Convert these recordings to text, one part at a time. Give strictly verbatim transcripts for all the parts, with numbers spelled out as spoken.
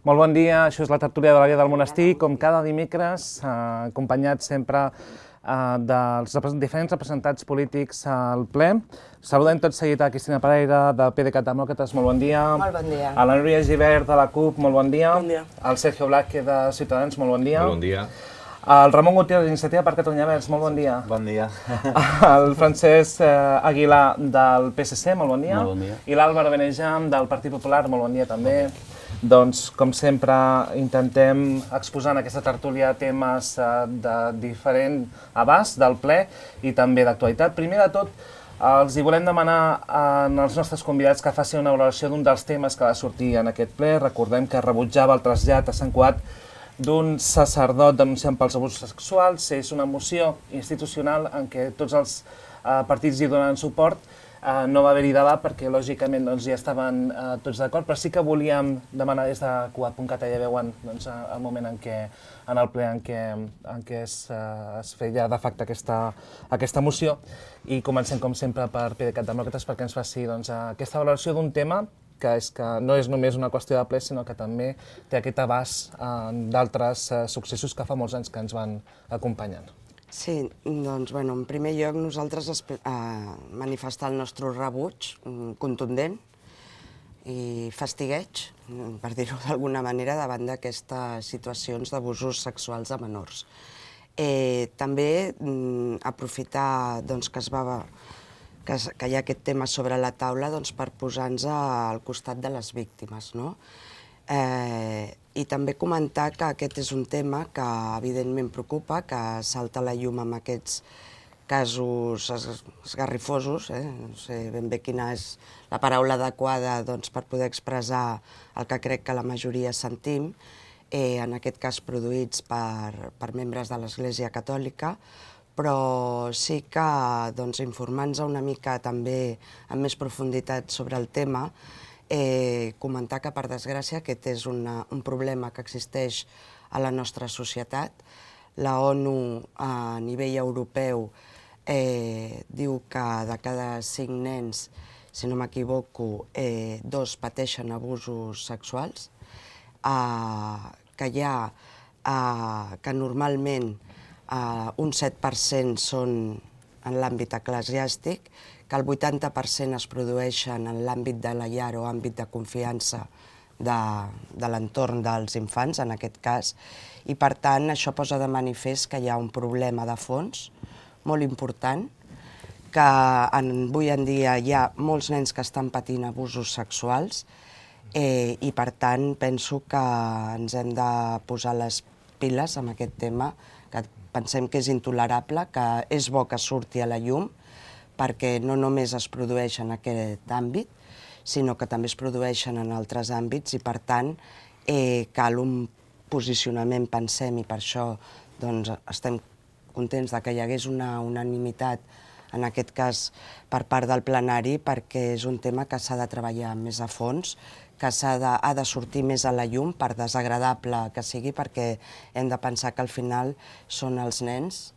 Molt bon dia, això és la tertúlia de la Via del Monestir, com cada dimecres, acompanyat sempre dels diferents representants polítics al ple. Saludem tot seguit a Cristina Pereira, de P D Cat Demòcrates, molt bon dia. Molt bon dia. A la Núria Gibert, de la CUP, molt bon dia. Bon dia. Al Sergio Blázquez, de Ciutadans, molt bon dia. Molt bon dia. El Ramon Gutiérrez, d'Iniciativa per Catalunya Verds, molt bon dia. Bon dia. El Francesc Aguilar, del P S C, molt bon dia. Molt bon dia. I l'Àlvaro Benejam, del Partit Popular, molt bon dia també. Bon dia. Doncs, com sempre, intentem exposar en aquesta tertúlia temes de diferent abast del ple i també d'actualitat. Primer de tot, els hi volem demanar als nostres convidats que facin una valoració d'un dels temes que va sortir en aquest ple. Recordem que rebutjava el trasllat a Sant Cugat d'un sacerdot denunciant pels abusos sexuals. És una moció institucional en què tots els partits hi donen suport. No va haver-hi debat perquè, lògicament, ja estaven tots d'acord, però sí que volíem demanar des de Cugat punt cat, ja veuen el moment en el ple en què es feia de facte aquesta moció. I comencem, com sempre, per P D Cat Demòcrates perquè ens faci aquesta valoració d'un tema que no és només una qüestió de ple, sinó que també té aquest abast d'altres successos que fa molts anys que ens van acompanyant. Sí, doncs, bueno, en primer lloc, nosaltres manifestar el nostre rebuig contundent i fastigueig, per dir-ho d'alguna manera, davant d'aquestes situacions d'abusos sexuals de menors. També aprofitar que hi ha aquest tema sobre la taula per posar-nos al costat de les víctimes, no? I també comentar que aquest és un tema que evidentment preocupa, que salta a la llum amb aquests casos esgarrifosos, no sé ben bé quina és la paraula adequada per poder expressar el que crec que la majoria sentim, en aquest cas produïts per membres de l'Església Catòlica, però sí que informant-nos una mica també amb més profunditat sobre el tema, comentar que, per desgràcia, aquest és un problema que existeix a la nostra societat. La ONU, a nivell europeu, diu que de cada cinc nens, si no m'equivoco, dos pateixen abusos sexuals, que hi ha que normalment un set per cent són en l'àmbit eclesiàstic, que el vuitanta per cent es produeixen en l'àmbit de la llar o àmbit de confiança de l'entorn dels infants, en aquest cas, i per tant això posa de manifest que hi ha un problema de fons molt important, que avui en dia hi ha molts nens que estan patint abusos sexuals i per tant penso que ens hem de posar les piles amb aquest tema, que pensem que és intolerable, que és bo que surti a la llum, perquè no només es produeix en aquest àmbit, sinó que també es produeixen en altres àmbits i, per tant, cal un posicionament, pensem, i per això estem contents que hi hagués una unanimitat, en aquest cas per part del plenari, perquè és un tema que s'ha de treballar més a fons, que ha de sortir més a la llum, per desagradable que sigui, perquè hem de pensar que al final són els nens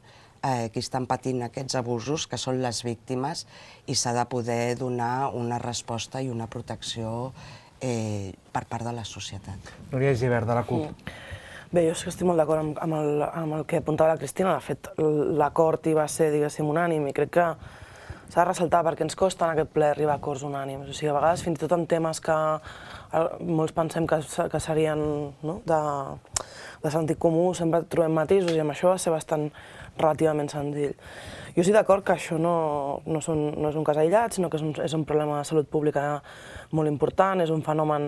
qui estan patint aquests abusos, que són les víctimes, i s'ha de poder donar una resposta i una protecció per part de la societat. Núria Gibert, de la CUP. Bé, jo estic molt d'acord amb el que apuntava la Cristina. De fet, l'acord hi va ser, diguéssim, unànim, i crec que s'ha de ressaltar perquè ens costa en aquest ple arribar a acords unànims. O sigui, a vegades, fins i tot en temes que molts pensem que serien de sentit comú, sempre trobem matisos, i amb això va ser bastant relativament senzill. Jo estic d'acord que això no és un cas aïllat, sinó que és un problema de salut pública molt important, és un fenomen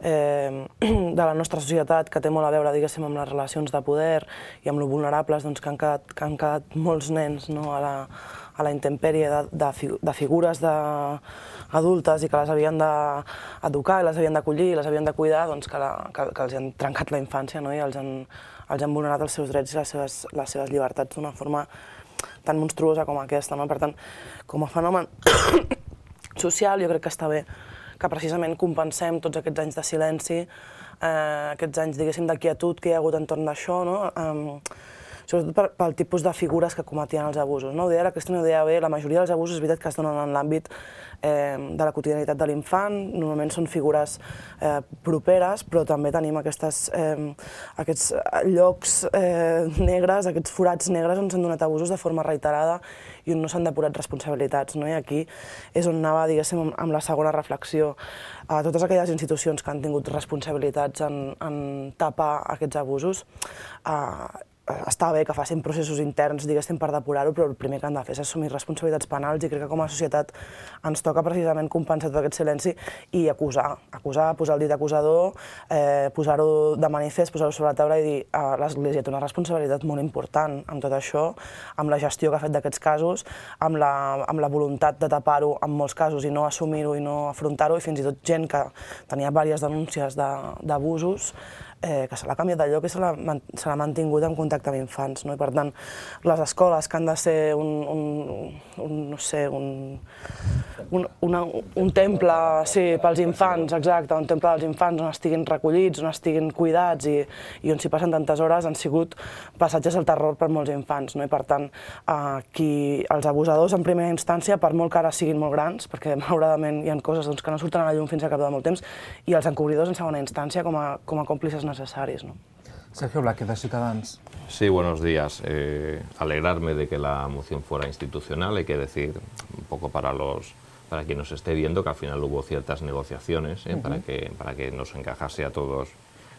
de la nostra societat que té molt a veure, diguéssim, amb les relacions de poder i amb lo vulnerables que han quedat molts nens a la intempèrie de figures adultes i que les havien d'educar, les havien d'acollir, les havien de cuidar, que els han trencat la infància i els han vulnerat els seus drets i les seves llibertats d'una forma tan monstruosa com aquesta. Per tant, com a fenomen social, jo crec que està bé que precisament compensem tots aquests anys de silenci, aquests anys, diguéssim, de quietud que hi ha hagut entorn d'això, sobretot pel tipus de figures que cometien els abusos. Ho deia la Cristina, ho deia bé, la majoria dels abusos és veritat que es donen en l'àmbit de la quotidianitat de l'infant, normalment són figures properes, però també tenim aquests llocs negres, aquests forats negres on s'han donat abusos de forma reiterada i on no s'han depurat responsabilitats. I aquí és on anava, diguéssim, amb la segona reflexió. A totes aquelles institucions que han tingut responsabilitats en tapar aquests abusos, està bé que facin processos interns, diguéssim, per depurar-ho, però el primer que han de fer és assumir responsabilitats penals i crec que com a societat ens toca precisament compensar tot aquest silenci i acusar, acusar, posar el dit acusador, posar-ho de manifest, posar-ho sobre la taula i dir l'Església té una responsabilitat molt important amb tot això, amb la gestió que ha fet d'aquests casos, amb la voluntat de tapar-ho en molts casos i no assumir-ho i no afrontar-ho, i fins i tot gent que tenia diverses denúncies d'abusos, que se l'ha canviat de lloc i se l'ha mantingut en contacte amb infants. I per tant, les escoles que han de ser un, no sé, un temple pels infants, exacte, un temple dels infants on estiguin recollits, on estiguin cuidats i on s'hi passen tantes hores, han sigut passatges al terror per molts infants. I per tant, els abusadors en primera instància, per molt que ara siguin molt grans, perquè malauradament hi ha coses que no surten a la llum fins a cap de molt temps, i els encobridors en segona instància com a còmplices necessaris. Sergio Blaque, de Ciutadans. Sí, buenos días. Eh, alegrarme de que la moción fuera institucional. Hay que decir, un poco para los para quien nos esté viendo, que al final hubo ciertas negociaciones eh, uh-huh. para que para que nos encajase a todos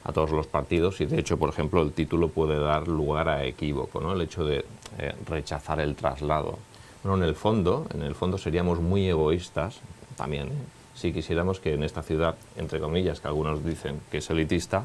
a todos los partidos, y de hecho, por ejemplo, el título puede dar lugar a equívoco, ¿no? El hecho de eh, rechazar el traslado. Bueno, en el fondo, en el fondo seríamos muy egoístas también, ¿eh? Si quisiéramos que en esta ciudad, entre comillas, que algunos dicen que es elitista,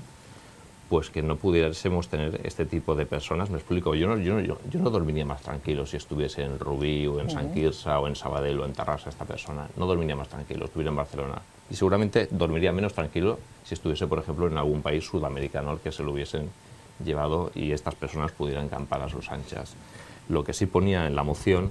pues que no pudiésemos tener este tipo de personas. Me explico, yo no, yo no, yo, yo no dormiría más tranquilo si estuviese en Rubí o en Sant Quirze o en Sabadell o en Terrassa esta persona. No dormiría más tranquilo, estuviera en Barcelona. Y seguramente dormiría menos tranquilo si estuviese, por ejemplo, en algún país sudamericano al que se lo hubiesen llevado y estas personas pudieran campar a sus anchas. Lo que sí ponía en la moción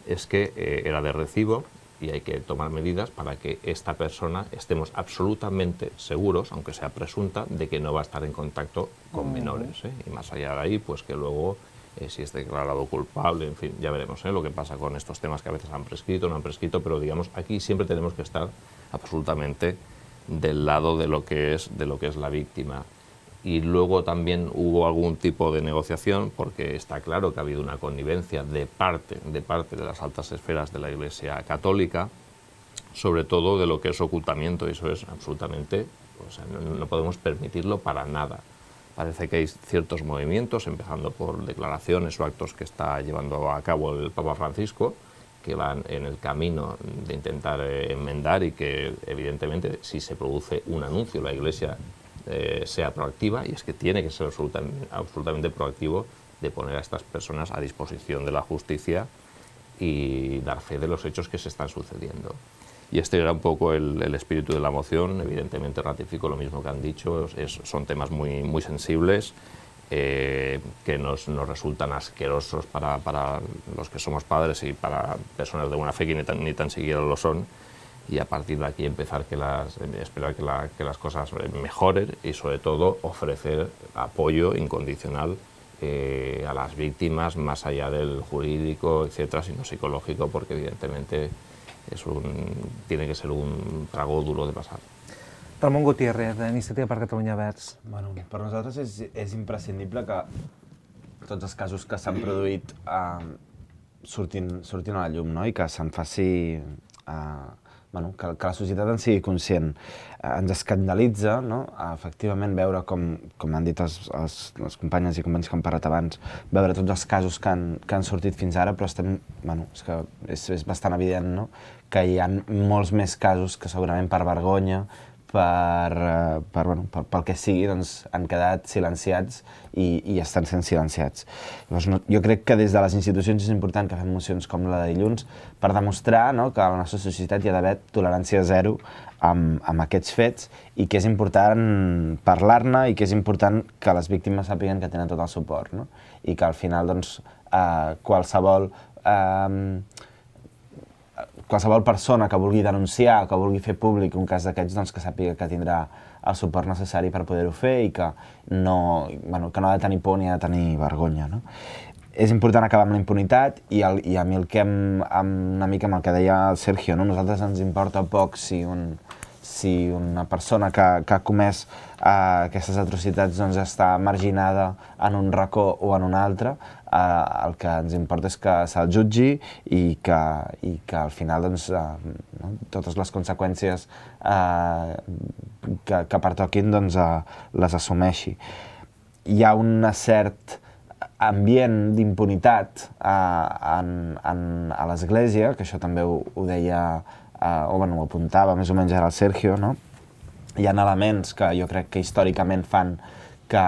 es que eh, era de recibo y hay que tomar medidas para que esta persona estemos absolutamente seguros, aunque sea presunta, de que no va a estar en contacto con menores, ¿eh? Y más allá de ahí, pues que luego, eh, si es declarado culpable, en fin, ya veremos ¿eh? lo que pasa con estos temas que a veces han prescrito, no han prescrito, pero digamos, aquí siempre tenemos que estar absolutamente del lado de lo que es, de lo que es la víctima. Y luego también hubo algún tipo de negociación, porque está claro que ha habido una connivencia de parte, de parte de las altas esferas de la Iglesia Católica, sobre todo de lo que es ocultamiento, y eso es absolutamente, o sea, no, no podemos permitirlo para nada. Parece que hay ciertos movimientos, empezando por declaraciones o actos que está llevando a cabo el Papa Francisco, que van en el camino de intentar eh, enmendar y que, evidentemente, si se produce un anuncio, la Iglesia Eh, sea proactiva, y es que tiene que ser absolutamente, absolutamente proactivo de poner a estas personas a disposición de la justicia y dar fe de los hechos que se están sucediendo. Y este era un poco el, el espíritu de la moción. Evidentemente ratifico lo mismo que han dicho, es, son temas muy, muy sensibles, eh, que nos, nos resultan asquerosos para, para los que somos padres y para personas de buena fe que ni tan, ni tan siquiera lo son. Y a partir de aquí empezar que las, esperar que, la, que las cosas mejoren y sobre todo ofrecer apoyo incondicional eh, a las víctimas más allá del jurídico, etcétera, sino psicológico, porque evidentemente es un, tiene que ser un trago duro de pasar. Ramon Gutiérrez, d'Iniciativa per Catalunya Verds. Bueno, per nosaltres és, és imprescindible que tots els casos que s'han produït eh, surtin, surtin a la llum, no? I que se'n faci... Eh, Bueno, que, que la societat en sigui conscient. Eh, ens escandalitza, no? Efectivament, veure com, com han dit els, els, les companyes i companys que han parlat abans, veure tots els casos que han, que han sortit fins ara, però estem, bueno, és, que és, és bastant evident, no? Que hi ha molts més casos que segurament per vergonya, per, per, bueno, per, pel que sigui, doncs, han quedat silenciats i, i estan sent silenciats. Llavors, no, jo crec que des de les institucions és important que fem mocions com la de dilluns per demostrar, no, que a la nostra societat hi ha d'haver tolerància zero amb, amb aquests fets i que és important parlar-ne i que és important que les víctimes sàpiguen que tenen tot el suport, no? I que al final doncs, eh, qualsevol... Eh, qualsevol persona que vulgui denunciar o que vulgui fer públic un cas d'aquests, doncs que sàpiga que tindrà el suport necessari per poder-ho fer i que no, bueno, que no ha de tenir por ni ha de tenir vergonya, no? És important acabar amb la impunitat i, el, i a mi el que em, amb, una mica amb el que deia el Sergio, no? Nosaltres ens importa poc si, un, si una persona que, que ha comès uh, aquestes atrocitats doncs, està marginada en un racó o en un altre. Uh, el que ens importa és que se'l jutgi i que, i que al final doncs, uh, no? totes les conseqüències uh, que, que pertoquin doncs, uh, les assumeixi. Hi ha un cert ambient d'impunitat uh, en, en, a l'Església, que això també ho, ho deia, uh, o bueno, ho apuntava més o menys ara el Sergio, no? Hi ha elements que jo crec que històricament fan que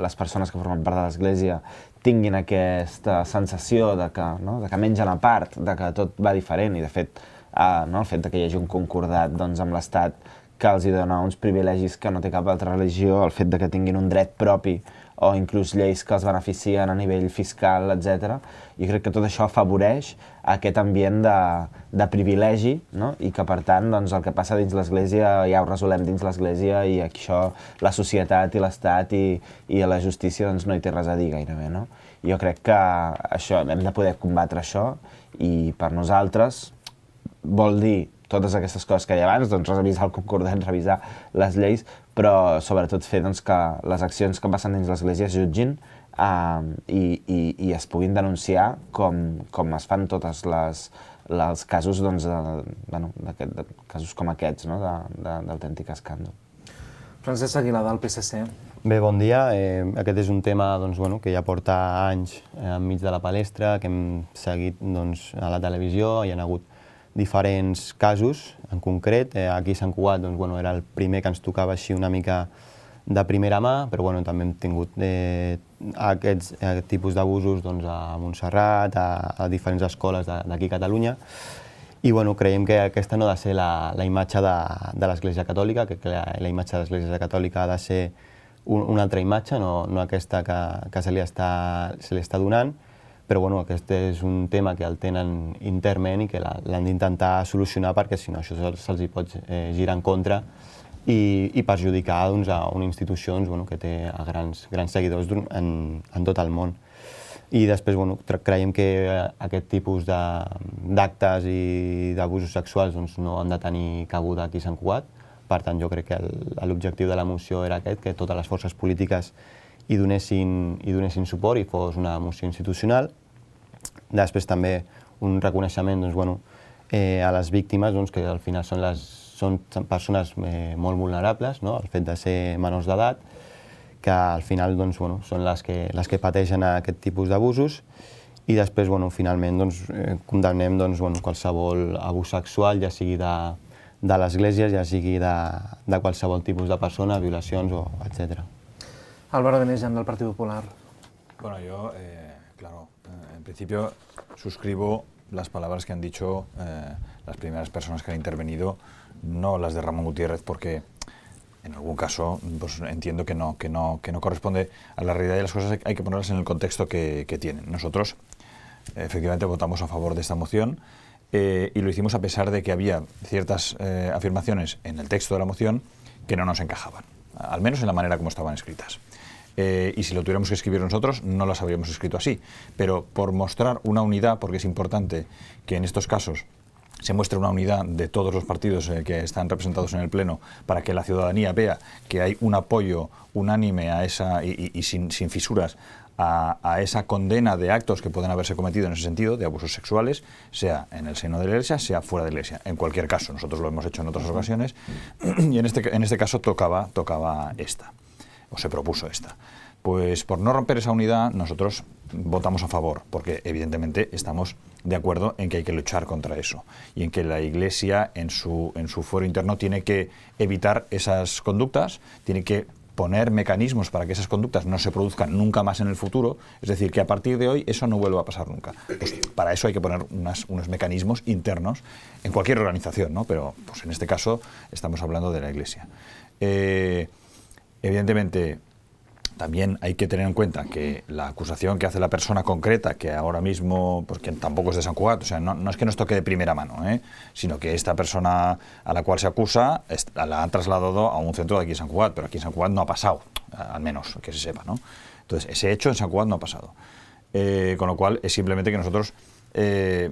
les persones que formen part de l'Església tinguin aquesta sensació de que, no? de que mengen a part, de que tot va diferent i de fet uh, no? el fet de que hi hagi un concordat doncs, amb l'Estat que els hi dona uns privilegis que no té cap altra religió, el fet de que tinguin un dret propi o inclús lleis que els beneficien a nivell fiscal, etcètera. Jo crec que tot això afavoreix aquest ambient de, de privilegi, no? I que, per tant, doncs, el que passa dins l'Església ja ho resolem dins l'Església i aquí això la societat i l'Estat i, i la justícia doncs, no hi té res a dir gairebé, no? Jo crec que això, hem de poder combatre això i per nosaltres vol dir totes aquestes coses que hi ha abans, doncs revisar el concordat, revisar les lleis, però sobretot fer doncs, que les accions que passen dins l'Església es jutgin uh, i, i, i es puguin denunciar com, com es fan tots els casos, doncs, de, bueno, de, de casos com aquests, no? d'autèntic escàndol. Francesc Aguilar, del P S C. Bé, bon dia. Eh, aquest és un tema doncs, bueno, que ja porta anys eh, enmig de la palestra, que hem seguit doncs, a la televisió, hi ha hagut diferents casos, en concret. Eh, aquí a Sant Cugat doncs, bueno, era el primer que ens tocava així una mica de primera mà, però bueno, també hem tingut eh, aquests, aquest tipus d'abusos doncs, a Montserrat, a, a diferents escoles d'aquí a Catalunya. I bueno, creiem que aquesta no ha de ser la, la imatge de, de l'Església Catòlica, que la, la imatge de l'Església Catòlica ha de ser un, una altra imatge, no, no aquesta que, que se, li està, se li està donant. Però bueno, aquest és un tema que el tenen internament i que l'han d'intentar solucionar perquè si no això se'ls hi pot eh, girar en contra i, i perjudicar doncs, a una institució doncs, bueno, que té grans, grans seguidors en, en tot el món. I després bueno, creiem que aquest tipus d'actes i d'abusos sexuals doncs, no han de tenir cabuda aquí a Sant Cugat. Per tant, jo crec que l'objectiu de la moció era aquest, que totes les forces polítiques i donessin, i donessin suport i fos una moció institucional. Després també un reconeixement doncs, bueno, eh, a les víctimes, doncs, que al final són, les, són persones eh, molt vulnerables, no? El fet de ser menors d'edat, que al final doncs, bueno, són les que, les que pateixen aquest tipus d'abusos. I després, bueno, finalment, doncs, eh, condemnem doncs, bueno, qualsevol abús sexual, ja sigui de, de l'Església, ja sigui de, de qualsevol tipus de persona, violacions, o etcètera. Álvaro Benejam, del Partido Popular. Bueno, yo, eh, claro, eh, en principio suscribo las palabras que han dicho eh, las primeras personas que han intervenido, no las de Ramón Gutiérrez, porque en algún caso pues, entiendo que no, que, no, que no corresponde a la realidad de las cosas, hay que ponerlas en el contexto que, que tienen. Nosotros, efectivamente, votamos a favor de esta moción eh, y lo hicimos a pesar de que había ciertas eh, afirmaciones en el texto de la moción que no nos encajaban, al menos en la manera como estaban escritas. Eh, y si lo tuviéramos que escribir nosotros, no las habríamos escrito así. Pero por mostrar una unidad, porque es importante que en estos casos se muestre una unidad de todos los partidos eh, que están representados en el Pleno, para que la ciudadanía vea que hay un apoyo unánime a esa, y, y, y sin, sin fisuras a, a esa condena de actos que pueden haberse cometido en ese sentido, de abusos sexuales, sea en el seno de la Iglesia, sea fuera de la Iglesia. En cualquier caso, nosotros lo hemos hecho en otras ocasiones, y en este, en este caso tocaba, tocaba esta. o se propuso esta. Pues por no romper esa unidad nosotros votamos a favor, porque evidentemente estamos de acuerdo en que hay que luchar contra eso y en que la Iglesia en su, en su fuero interno tiene que evitar esas conductas, tiene que poner mecanismos para que esas conductas no se produzcan nunca más en el futuro, es decir, que a partir de hoy eso no vuelva a pasar nunca. Pues para eso hay que poner unas, unos mecanismos internos en cualquier organización, ¿no? Pero pues en este caso estamos hablando de la Iglesia. Eh, evidentemente, también hay que tener en cuenta que la acusación que hace la persona concreta, que ahora mismo, pues que tampoco es de Sant Cugat, o sea, no, no es que nos toque de primera mano, ¿eh? Sino que esta persona a la cual se acusa la han trasladado a un centro de aquí en Sant Cugat, pero aquí en Sant Cugat no ha pasado, al menos que se sepa, ¿no? Entonces, ese hecho en Sant Cugat no ha pasado. Eh, con lo cual, es simplemente que nosotros eh,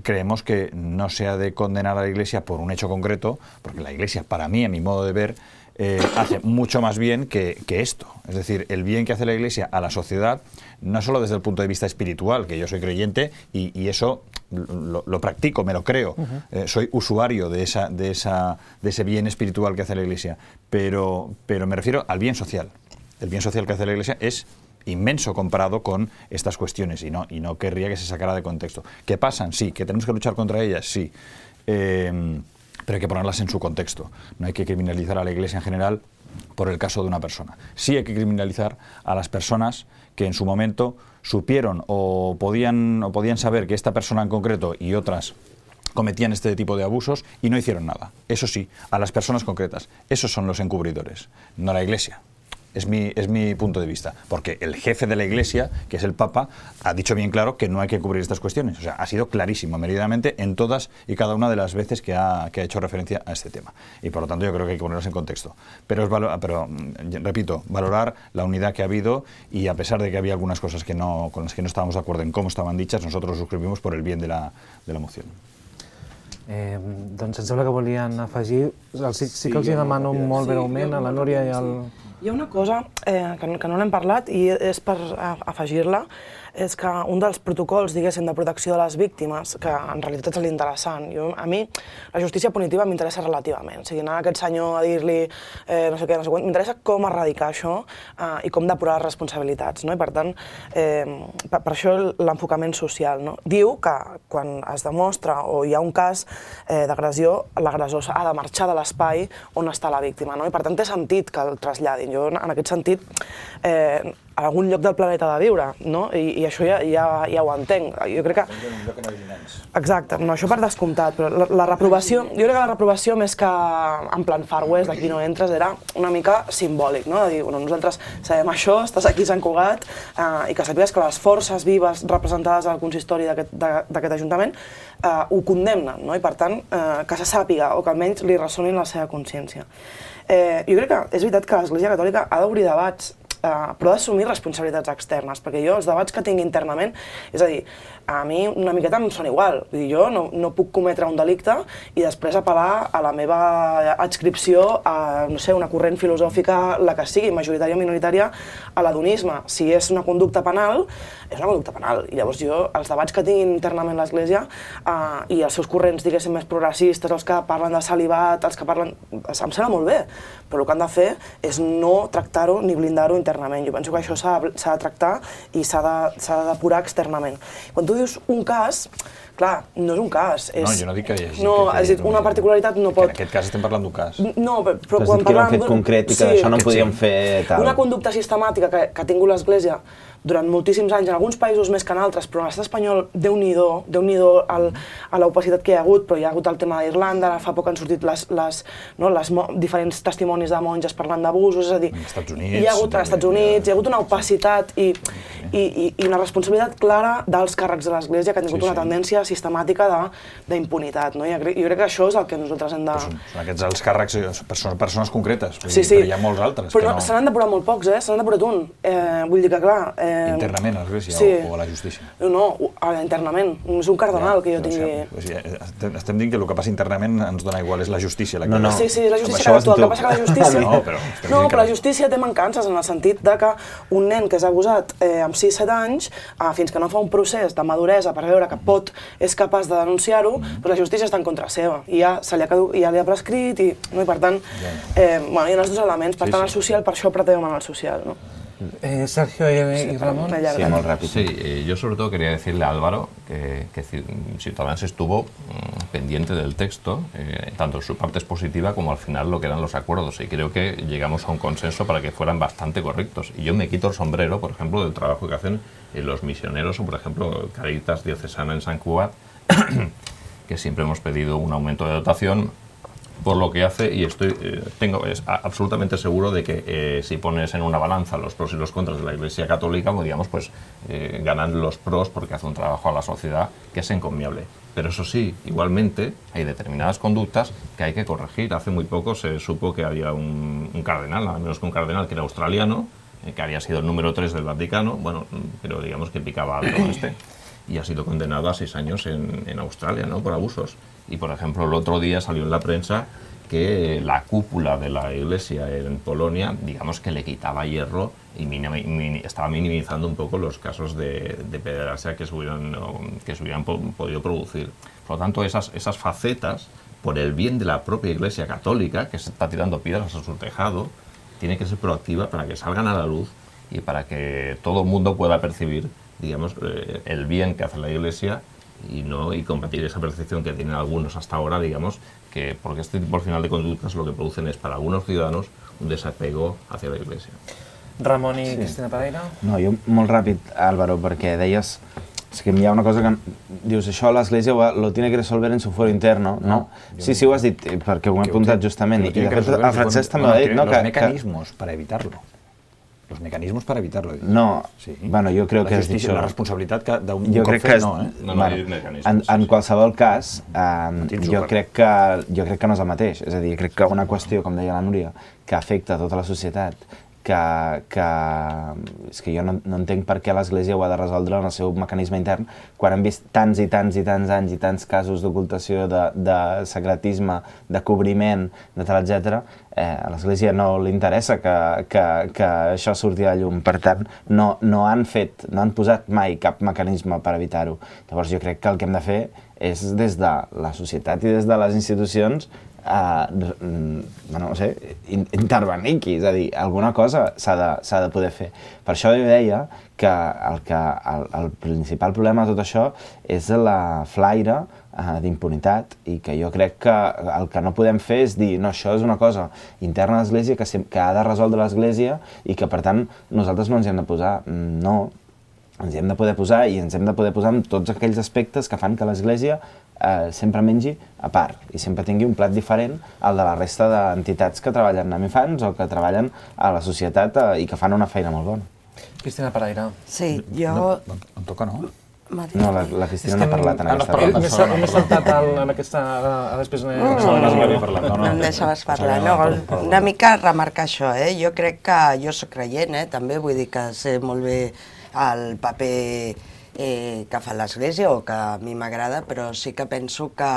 creemos que no se ha de condenar a la Iglesia por un hecho concreto, porque la Iglesia, para mí, a mi modo de ver, Eh, hace mucho más bien que, que esto. Es decir, el bien que hace la Iglesia a la sociedad, no solo desde el punto de vista espiritual, que yo soy creyente y, y eso lo, lo practico, me lo creo, uh-huh. eh, soy usuario de, esa, de, esa, de ese bien espiritual que hace la Iglesia, pero, pero me refiero al bien social. El bien social que hace la Iglesia es inmenso comparado con estas cuestiones y no, y no querría que se sacara de contexto. ¿Qué pasan? Sí. ¿Que tenemos que luchar contra ellas? Sí. Eh, pero hay que ponerlas en su contexto. No hay que criminalizar a la Iglesia en general por el caso de una persona. Sí hay que criminalizar a las personas que en su momento supieron o podían, o podían saber que esta persona en concreto y otras cometían este tipo de abusos y no hicieron nada. Eso sí, a las personas concretas. Esos son los encubridores, no la Iglesia. Es mi, es mi punto de vista, porque el jefe de la Iglesia, que es el Papa, ha dicho bien claro que no hay que cubrir estas cuestiones. O sea, ha sido clarísimo, meridamente, en todas y cada una de las veces que ha, que ha hecho referencia a este tema. Y por lo tanto yo creo que hay que ponerlos en contexto. Pero, es valo- pero repito, valorar la unidad que ha habido y a pesar de que había algunas cosas que no, con las que no estábamos de acuerdo en cómo estaban dichas, nosotros suscribimos por el bien de la, de la moción. Eh, doncs em sembla que volien afegir, sí, sí que els hi demano molt breument a la Núria i al... Hi ha una cosa eh, que, no, que no n'hem parlat i és per afegir-la, és que un dels protocols, diguéssim, de protecció de les víctimes, que en realitat és l'interessant. Jo, a mi, la justícia punitiva m'interessa relativament. O sigui, anar a aquest senyor a dir-li eh, no sé què, no sé quant, m'interessa com erradicar això eh, i com depurar les responsabilitats, no? I per tant, eh, per, per això l'enfocament social, no? Diu que quan es demostra o hi ha un cas eh, d'agressió, l'agressor ha de marxar de l'espai on està la víctima, no? I per tant té sentit que el traslladin. Jo, en aquest sentit, eh, a algun lloc del planeta ha de viure, no? I, i això ja, ja, ja ho entenc. Jo crec que... En un lloc que no hi hagi nens. Exacte, no, això per descomptat, però la, la reprovació, jo crec que la reprovació més que en plan Far West, d'aquí no entres, era una mica simbòlic, no? De dir, bueno, nosaltres sabem això, estàs aquí a Sant Cugat, eh, i que sàpigues que les forces vives representades al consistori d'aquest Ajuntament eh, ho condemnen, no? I per tant, eh, que se sàpiga, o que almenys li ressoni en la seva consciència. Eh, jo crec que és veritat que l'Església Catòlica ha d'obrir debats, eh, però ha d'assumir responsabilitats externes, perquè jo els debats que tinc internament, és a dir, a mi una miqueta em sona igual. Vull dir, jo no, no puc cometre un delicte i després apel·lar a la meva adscripció a, no sé, una corrent filosòfica, la que sigui, majoritària o minoritària, a l'adonisme. Si és una conducta penal, és una conducta penal. I llavors jo, els debats que tinc internament l'Església eh, i els seus corrents, diguéssim, més progressistes, els que parlen de celibat, els que parlen... Em sembla molt bé, però el que han de fer és no tractar-ho ni blindar-ho internament. Jo penso que això s'ha de tractar i s'ha de, s'ha de depurar externament. Quan tu dius un cas, clar, no és un cas. És... No, jo no dic que hi hagi... No, que, és dir, una particularitat no pot... En aquest cas estem parlant d'un cas. No, però, però Has quan dit que era un parlem... fet concret i que sí, això no en podíem fer tal. Una conducta sistemàtica que, que ha tingut l'Església durant moltíssims anys, en alguns països més que en altres, però en l'estat espanyol, Déu-n'hi-do, Déu-n'hi-do al, a l'opacitat que hi ha hagut, però hi ha hagut el tema d'Irlanda, ara fa poc han sortit les, les, no, les mo diferents testimonis de monges parlant d'abusos, és a dir, als Estats Units, hi ha hagut, als Estats Units, hi ha hagut una opacitat i, i, i, i una responsabilitat clara dels càrrecs de l'Església que han tingut sí, sí. una tendència sistemàtica d'impunitat. No? Jo, jo crec que això és el que nosaltres hem de... Són, són aquests els càrrecs, persones, persones concretes, vull sí, dir, sí. però hi ha molts altres. Però no, no... se n'han depurat molt pocs, eh? Se n'han depurat un. Eh, vull dir que, clar... Eh, internament a l'Església sí. o, o a la justícia? No, no, internament. És un cardenal ja, que jo no, tingui... O sigui, estem, estem dient que el que passa internament ens dona igual, és la justícia. La que... No, no. Sí, sí, la justícia que actua. El que passa que la justícia... no, però, no, però la justícia té mancances en el sentit de que un nen que és abusat eh, amb sis set anys, eh, fins que no fa un procés de maduresa per veure que pot, és capaç de denunciar-ho, mm. però la justícia està en contra seva. I ja, se li ha, ja li ha prescrit i, no, i per tant, eh, bueno, hi ha els dos elements. Per sí, tant, el social, per això pretèiem en el social, no? Eh, Sergio y, y Ramón. Sí, muy rápido. Sí, eh, yo sobre todo quería decirle a Álvaro que, que Ciudadanos estuvo mmm, pendiente del texto, eh, tanto en su parte positiva como al final lo que eran los acuerdos, y creo que llegamos a un consenso para que fueran bastante correctos. Y yo me quito el sombrero, por ejemplo, del trabajo que hacen eh, los misioneros o, por ejemplo, Caritas Diocesana en Sant Cugat, que siempre hemos pedido un aumento de dotación por lo que hace, y estoy eh, tengo es absolutamente seguro de que eh, si pones en una balanza los pros y los contras de la Iglesia Católica, pues, digamos, pues eh, ganan los pros porque hace un trabajo a la sociedad que es encomiable. Pero eso sí, igualmente hay determinadas conductas que hay que corregir. Hace muy poco se supo que había un, un cardenal, nada menos que un cardenal que era australiano, eh, que había sido el número tres del Vaticano, bueno, pero digamos que picaba alto este, y ha sido condenado a seis años en, en Australia, ¿no?, por abusos. Y, por ejemplo, el otro día salió en la prensa que la cúpula de la Iglesia en Polonia, digamos que le quitaba hierro y minim, min, estaba minimizando un poco los casos de, de pederastia que se hubieran, que se hubieran po, podido producir. Por lo tanto, esas, esas facetas, por el bien de la propia Iglesia Católica, que se está tirando piedras a su tejado, tiene que ser proactiva para que salgan a la luz y para que todo el mundo pueda percibir, digamos, eh, el bien que hace la Iglesia y no y combatir esa percepción que tienen algunos hasta ahora, digamos, que porque este tipo al final de conductas lo que producen es para algunos ciudadanos un desapego hacia la Iglesia. Ramon i Sí. Cristina Pereira? No, jo molt ràpid, Álvaro, perquè deies... És que hi ha una cosa que... Dius, això l'Església lo tiene que resolver en su fuero interno, no? Sí, sí, ho has dit, perquè ho he apuntat justament. I de fet, el Francesc també ho ha dit, no? Los mecanismos para evitarlo. Los mecanismos para evitarlo. No, sí. Bueno, jo crec la que has dit justícia, això. la responsabilitat que d'un jo cop crec que fet, és, no, eh? No, no, bueno, mecanismes, en, en sí, sí. qualsevol cas, eh, Tens jo un crec, que, jo crec que no és el mateix. És a dir, crec que una qüestió, com deia la Núria, que afecta tota la societat, que, que és que jo no, no entenc per què l'Església ho ha de resoldre en el seu mecanisme intern, quan hem vist tants i tants i tants anys i tants casos d'ocultació, de, de secretisme, de cobriment, de tal, etcètera. Eh, a l'Església no li interessa que, que, que això surti a la llum. Per tant, no, no han fet, no han posat mai cap mecanisme per evitar-ho. Llavors jo crec que el que hem de fer és des de la societat i des de les institucions Uh, bueno, no sé, intervenir aquí, és a dir, alguna cosa s'ha de, s'ha de poder fer. Per això jo deia que el, que el, el principal problema de tot això és la flaire uh, d'impunitat i que jo crec que el que no podem fer és dir no, això és una cosa interna a l'Església que, que ha de resoldre l'Església i que per tant nosaltres no ens hi hem de posar. No, ens hi hem de poder posar i ens hem de poder posar en tots aquells aspectes que fan que l'Església eh, sempre mengi a part i sempre tingui un plat diferent al de la resta d'entitats que treballen amb infants o que treballen a la societat eh, i que fan una feina molt bona. Cristina Pereira. Sí, jo... No, em toca, no? No, la, la Cristina no ha parlat en aquesta part. M'he saltat en aquesta... Després n'he parlat. No em deixaves parlar. No, una mica remarcar això, eh? Jo crec que jo soc creient, eh? També vull dir que sé molt bé el paper eh, que fa l'Església o que a mi m'agrada, però sí que penso que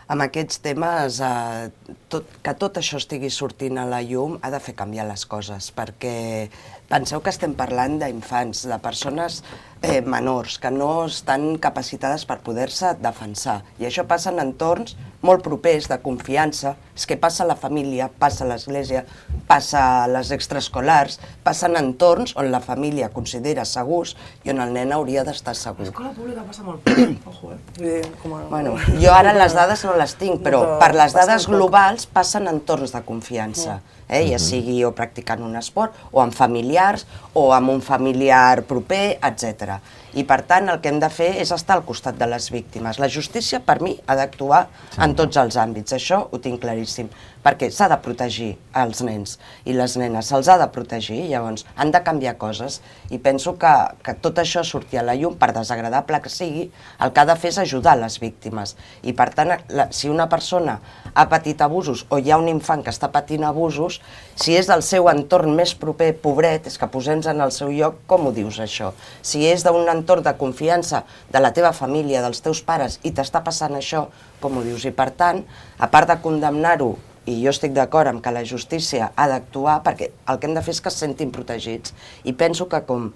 amb aquests temes, eh, tot, que tot això estigui sortint a la llum ha de fer canviar les coses, perquè penseu que estem parlant d'infants, de persones eh, menors, que no estan capacitades per poder-se defensar. I això passa en entorns molt propers, de confiança. És que passa a la família, passa a l'església, passa a les extraescolars, passa en entorns on la família considera segurs i on el nen hauria d'estar segur. L'escola pública passa molt. Ojo, eh? Vull dir, com a... Bueno, jo ara les dades no les tinc, però per les dades globals passen en entorns de confiança. Eh? Ja sigui o practicant un esport, o amb familiars, o amb un familiar proper, etcètera. I per tant el que hem de fer és estar al costat de les víctimes. La justícia, per mi, ha d'actuar en tots els àmbits, això ho tinc claríssim, perquè s'ha de protegir els nens i les nenes, se'ls ha de protegir, llavors han de canviar coses i penso que, que tot això surti a la llum, per desagradable que sigui, el que ha de fer és ajudar les víctimes. I per tant, la, si una persona ha patit abusos o hi ha un infant que està patint abusos, si és del seu entorn més proper, pobret, és que posem-nos en el seu lloc, com ho dius això? Si és d'un entorn de confiança de la teva família, dels teus pares, i t'està passant això, com ho dius? I per tant, a part de condemnar-ho, i jo estic d'acord amb que la justícia ha d'actuar, perquè el que hem de fer és que es sentin protegits. I penso que com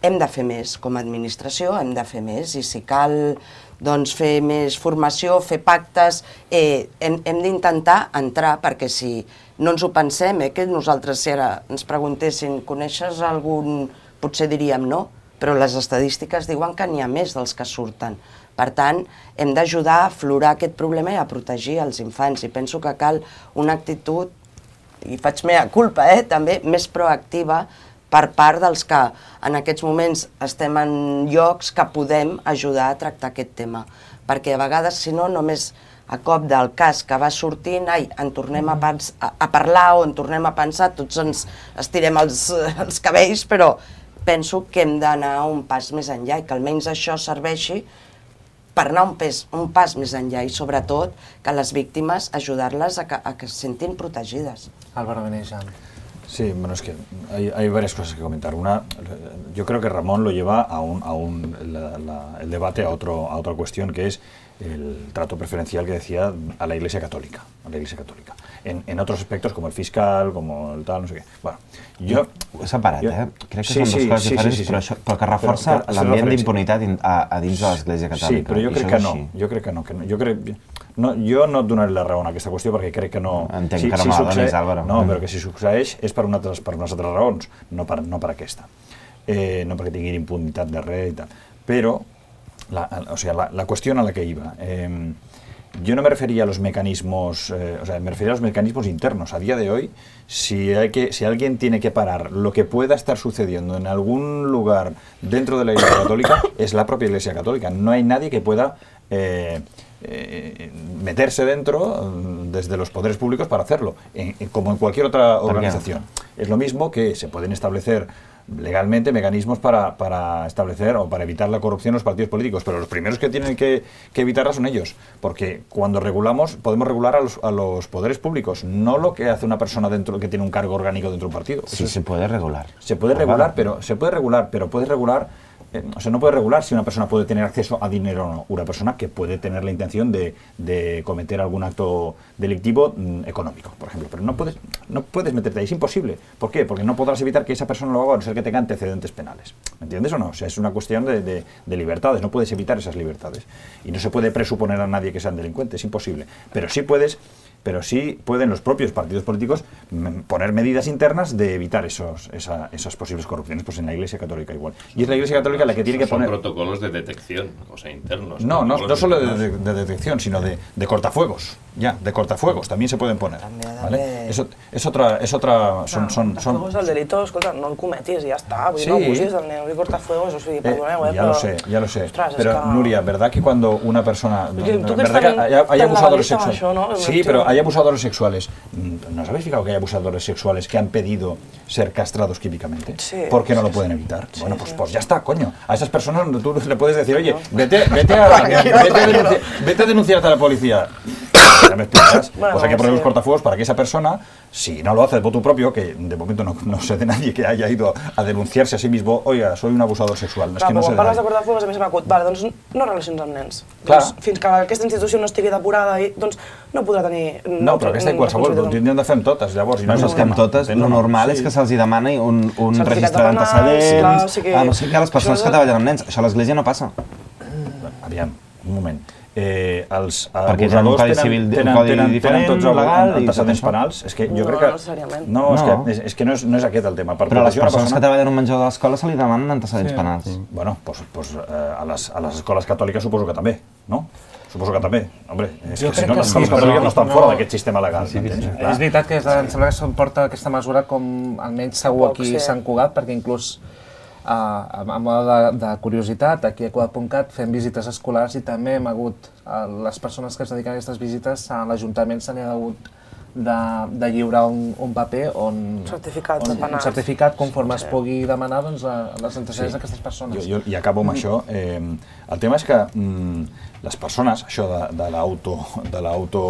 hem de fer més, com a administració hem de fer més, i si cal doncs, fer més formació, fer pactes, eh, hem, hem d'intentar entrar, perquè si no ens ho pensem, eh, que nosaltres si ara ens preguntessin, coneixes algun... potser diríem no, però les estadístiques diuen que n'hi ha més dels que surten. Per tant, hem d'ajudar a aflorar aquest problema i a protegir els infants. I penso que cal una actitud, i faig mea culpa, eh, també, més proactiva per part dels que en aquests moments estem en llocs que podem ajudar a tractar aquest tema. Perquè a vegades, si no, només a cop del cas que va sortint, ai, en tornem a, pens a, a parlar o en tornem a pensar, tots ens estirem els, els cabells, però penso que hem d'anar un pas més enllà i que almenys això serveixi per anar un, pes, un pas més enllà i sobretot que les víctimes ajudar-les a, que, a que se sentin protegides. Álvaro Benejan. Sí, bueno, es que hay, hay varias cosas que comentar. Una, yo creo que Ramón lo lleva a, un, a un, la, la, el debate a, otro, a otra cuestión, que es el trato preferencial que decía a la Iglesia Católica. A la Iglesia Católica. En, en otros aspectos, como el fiscal, como el tal, no sé qué. Bueno, jo... Ho he separat, eh? Crec que sí, són dues sí, coses sí, diferents, sí, sí, sí. però, això, però que reforça l'ambient d'impunitat a, a dins de l'Església Catòlica. Sí, però jo crec que no. Jo crec que no. Que no. Jo, crec, no jo no et donaré la raó en aquesta qüestió perquè crec que no... Entenc si, que no si me la donis, Álvaro. No, però que si succeeix és per, una altres, per unes altres raons, no per, no per aquesta. Eh, no perquè tinguin impunitat de res i tal. Però, la, o sea, la, la qüestió a la que iba... Eh, Yo no me refería a los mecanismos, eh, o sea, me refería a los mecanismos internos. A día de hoy, si, hay que, si alguien tiene que parar lo que pueda estar sucediendo en algún lugar dentro de la Iglesia Católica, es la propia Iglesia Católica. No hay nadie que pueda eh, eh, meterse dentro desde los poderes públicos para hacerlo, en, en, como en cualquier otra organización. Es lo mismo que se pueden establecer legalmente mecanismos para, para establecer o para evitar la corrupción en los partidos políticos, pero los primeros que tienen que, que evitarla son ellos, porque cuando regulamos podemos regular a los, a los poderes públicos, no lo que hace una persona dentro que tiene un cargo orgánico dentro de un partido. Sí, se puede regular. Se puede regular, pero se puede regular, pero puedes regular Eh, o sea, no puede regular si una persona puede tener acceso a dinero o no. Una persona que puede tener la intención de, de cometer algún acto delictivo mmm, económico, por ejemplo. Pero no puedes, no puedes meterte ahí, es imposible. ¿Por qué? Porque no podrás evitar que esa persona lo haga a no ser que tenga antecedentes penales. ¿Me entiendes o no? O sea, es una cuestión de, de, de libertades, no puedes evitar esas libertades. Y no se puede presuponer a nadie que sean delincuentes, es imposible. Pero sí puedes... pero sí pueden los propios partidos políticos poner medidas internas de evitar esos, esa, esas posibles corrupciones, pues en la Iglesia Católica igual. Y es la Iglesia Católica la que tiene que son poner... Son protocolos de detección, o sea, internos. No, no, no solo de, de, de detección, sino de, de cortafuegos, ya, de cortafuegos, también se pueden poner, ¿vale? Eso es otra, es otra, son... No, son, son... Cortafuegos, el delito, escolta, no el cometis, ja està, vull dir, Sí. no abusis del nen, vull dir, cortafuegos, o sigui, perdoneu, eh, ya però... lo sé, ya lo sé. Ostres, pero, que... Nuria, ¿verdad que cuando una persona... Porque tú que ¿verdad estás que hay, hay tan abusadores legalista sexuales? això, ¿no? Sí, pero hay abusadores sexuales. ¿No os habéis fijado que hay abusadores sexuales que han pedido ser castrados químicamente? Sí, ¿Por qué no sí, lo pueden sí. evitar? Sí, bueno, pues, sí. pues ya está, coño. A esas personas tú le puedes decir, oye, vete, vete, a, vete, a, denunciar, vete a denunciarte a la policía. Ya me explicas. Bueno, pues hay que poner sí. los cortafuegos para que esa persona, si no lo hace de voto propio, que de momento no, no sé de nadie que haya ido a denunciarse a sí mismo, oiga, soy un abusador sexual. Clar, Es que no però sé quan de parles de nadie. cortafuegos, a mi se m'ha acut, vale, doncs no relacions amb nens. Clar. Doncs, fins que aquesta institució no estigui depurada, i, doncs no podrà tenir... No, però aquesta en qualsevol, ho tindríem de fer amb totes, llavors. I No, és no, el és que amb tema. totes, Entens o lo no? normal és Sí. que se'ls demani un, un Certificat registre de penals, d'antecedents, clar, o sigui, a no ser que les persones això que és- treballen amb nens. Això a l'Església no passa. Aviam, un moment. Eh, els Perquè tenen un abusadors codi tenen, civil- un tenen, codi tenen, tenen diferent, tots legal, i tot antecedents això. penals. És que jo No, crec que... no necessàriament. No, és, No. que, és, és que no és, no és aquest el tema. Per Però a les protegir una persones que persona... treballen en un menjador de l'escola se li demanen antecedents penals. Bueno, pues, pues eh, a, les, a les escoles catòliques suposo que també, no? Suposo que també. Hombre, és Jo que si crec no, que les sí, escoles però catòliques no estan no- fora d'aquest sistema legal. m'entens? Clar. És veritat que em sembla que se'n porta aquesta mesura com almenys segur Poc, aquí sí. a Sant Cugat, perquè inclús uh, a, a moda de, de curiositat, aquí a Cugat punt cat fem visites escolars i també hem hagut, uh, les persones que es dediquen a aquestes visites, a l'Ajuntament se n'hi ha hagut de, de lliurar un, un paper on... Certificat de on, un penals. certificat conforme es pugui demanar doncs, a, a les antecedents d'aquestes persones. Jo, jo, I acabo amb això. Eh, el tema és que mm, les persones, això de, de l'auto, de l'auto,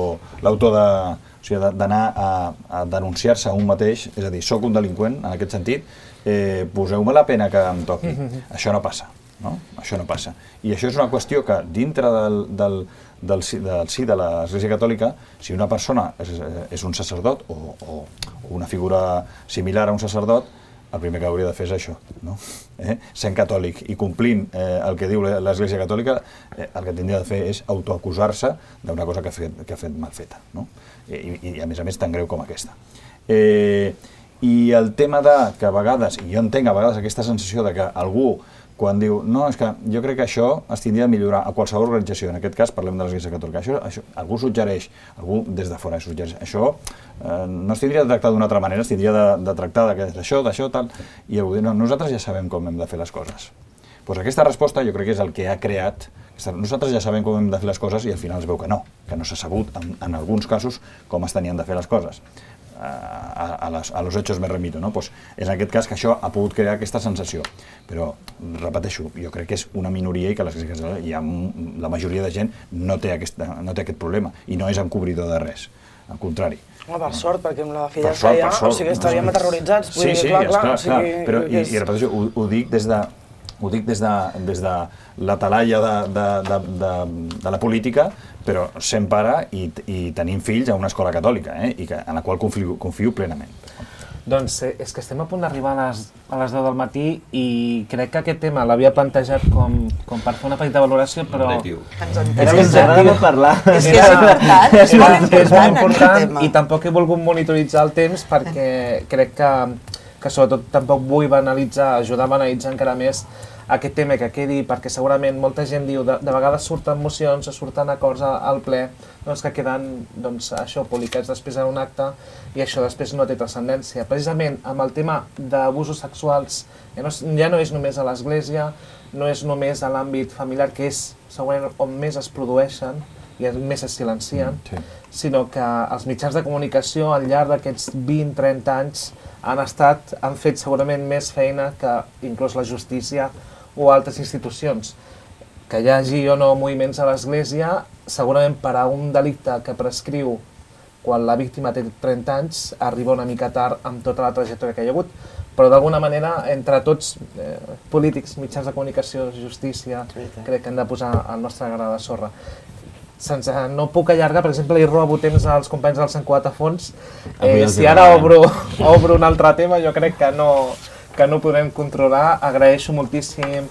l'auto de, o sigui, de- d'anar a, a denunciar-se a un mateix, és a dir, soc un delinqüent, en aquest sentit, eh, poseu-me la pena que em toqui. Això no passa, no? Això no passa. I això és una qüestió que dintre del, del, del, si- del sí de l'Església Catòlica, si una persona és, és un sacerdot o, o, o una figura similar a un sacerdot, el primer que hauria de fer és això, no? Eh? Sent catòlic i complint eh, el que diu l'Església Catòlica, eh, el que tindria de fer és autoacusar-se d'una cosa que ha fet, que ha fet mal feta, no? I, i a més a més tan greu com aquesta. Eh, I el tema de que a vegades, i jo entenc a vegades aquesta sensació de que algú quan diu, no, és que jo crec que això es tindria de millorar a qualsevol organització, en aquest cas parlem de l'Església Catòlica, això, això, algú suggereix, algú des de fora suggereix, això eh, no es tindria de tractar d'una altra manera, es tindria de, de tractar d'això, d'això, tal, i algú diu, no, nosaltres ja sabem com hem de fer les coses. Pues aquesta resposta jo crec que és el que ha creat, nosaltres ja sabem com hem de fer les coses i al final es veu que no, que no s'ha sabut en, en alguns casos com es tenien de fer les coses. A, a, les, a los hechos me remito, no? Pues és en aquest cas que això ha pogut crear aquesta sensació. Però, repeteixo, jo crec que és una minoria i que l'Església hi ha, la majoria de gent no té, aquesta, no té aquest problema i no és encobridor de res, al contrari. Home, per sort, perquè amb la fidelça ja, o sigui, estaríem aterroritzats. Sí, sí, clar, clar, clar, clar. Però, i, i repeteixo, ho, ho dic des de ho dic des de, des de la talaia de, de, de, de, de la política, però sent pare i, i tenint fills a una escola catòlica, eh? I que, en la qual confio, confio plenament. Doncs eh, és que estem a punt d'arribar a, les, a les deu del matí i crec que aquest tema l'havia plantejat com, com per fer una petita valoració, però... Ens és que ens agrada parlar. És que és important, és molt important, és molt important aquest tema. I tampoc he volgut monitoritzar el temps perquè crec que, que sobretot tampoc vull banalitzar, ajudar a banalitzar encara més aquest tema que quedi, perquè segurament molta gent diu de, de vegades surten mocions o surten acords al ple doncs, que queden doncs, això, publicats després en un acte i això després no té transcendència. Precisament amb el tema d'abusos sexuals ja no, ja no és només a l'Església, no és només a l'àmbit familiar, que és segurament on més es produeixen i més es silencien, sí. Sinó que els mitjans de comunicació al llarg d'aquests vint a trenta anys han estat, han fet segurament més feina que inclús la justícia o altres institucions. Que hi hagi o no moviments a l'Església, segurament per a un delicte que prescriu quan la víctima té trenta anys, arriba una mica tard amb tota la trajectòria que hi ha hagut, però d'alguna manera, entre tots, eh, polítics, mitjans de comunicació, justícia, crec que hem de posar el nostre gra de sorra. Sense, no puc allargar, per exemple, i robo temps als companys del Sant Cugat a fons. Eh, si ara obro, obro un altre tema, jo crec que no, que no podrem controlar. Agraeixo moltíssim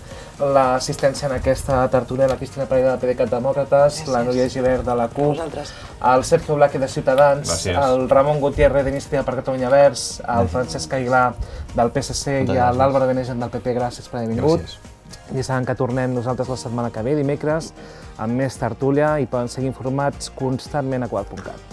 l'assistència en aquesta tertúlia, la Cristina Pereira de PDeCAT Demòcrates, la Núria Gibert de la CUP, el Sergio Blaque de Ciutadans, Gràcies. el Ramon Gutiérrez d'Iniciativa per Catalunya Verds, el Francesc Aguilar del P S C i l'Àlvaro Benegen del P P. Gràcies per haver vingut. Gràcies. I saben que tornem nosaltres la setmana que ve, dimecres, amb més tertúlia, i poden seguir informats constantment a quart punt cat.